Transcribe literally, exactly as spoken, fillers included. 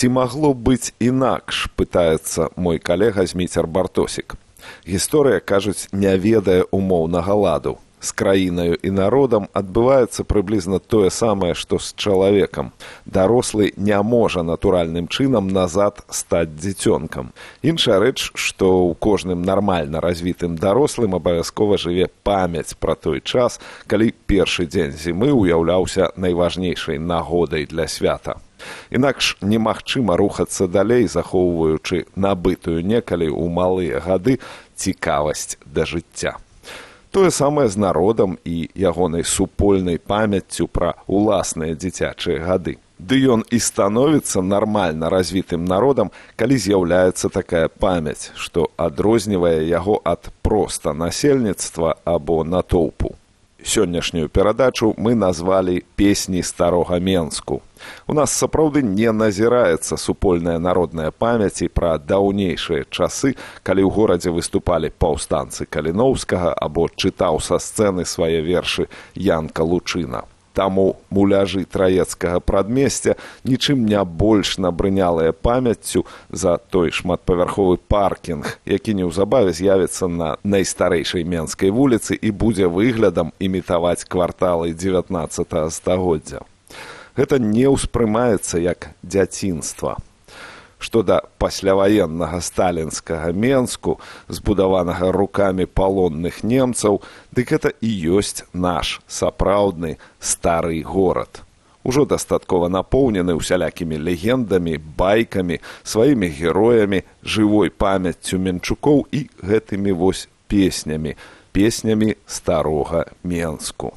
Ці магло быць інакш, пытаецца мой калега Зміцер Бартосік. Гісторыя, кажуць, не ведае умоўнага ладу. З краінаю і народам адбываецца прыблізна тое самае, што з чалавекам. Дарослы не можа натуральным чынам назад стаць дзіцёнкам. Іншая рэч, што ў кожным нармальна развітым дарослым абавязкова жыве памяць пра той час, калі першы дзень зімы ўяўляўся найважнейшай нагодай для свята. Інакш немагчыма рухацца далей, захоўваючы набытую некалі ў малыя гады цікавасць да жыцця. Тое самае з народам і ягонай супольнай памяццю пра ўласныя дзіцячыя гады. Ды ён і становіцца нармальна развітым народам, калі з'яўляецца такая памяць, што адрознівае яго ад проста насельніцтва або натоўпу. Сённяшнюю перадачу мы назвалі «Песні старога Менску». У нас сапраўды не назіраецца супольная народная памяць і пра даўнейшыя часы, калі ў горадзе выступалі паўстанцы Каліноўскага або чытаў са сцэны свае вершы Янка Лучына. Таму муляжы траецкага прадмесця нічым не больш набрынялыя памяццю за той шматпавярховы паркінг, які неўзабаве з'явіцца на найстарэйшай Менскай вуліцы і будзе выглядам імітаваць кварталы дзевятнаццатага стагоддзя. Гэта не ўспрымаецца як дзяцінства. Што да пасляваеннага сталінскага Менску, збудаванага рукамі палонных немцаў, дык гэта і ёсць наш сапраўдны стары горад. Ужо дастаткова напоўнены усялякімі легендамі, байкамі, сваімі героямі, жывой памяццю менчукоў і гэтымі вось песнямі, песнямі старога Менску.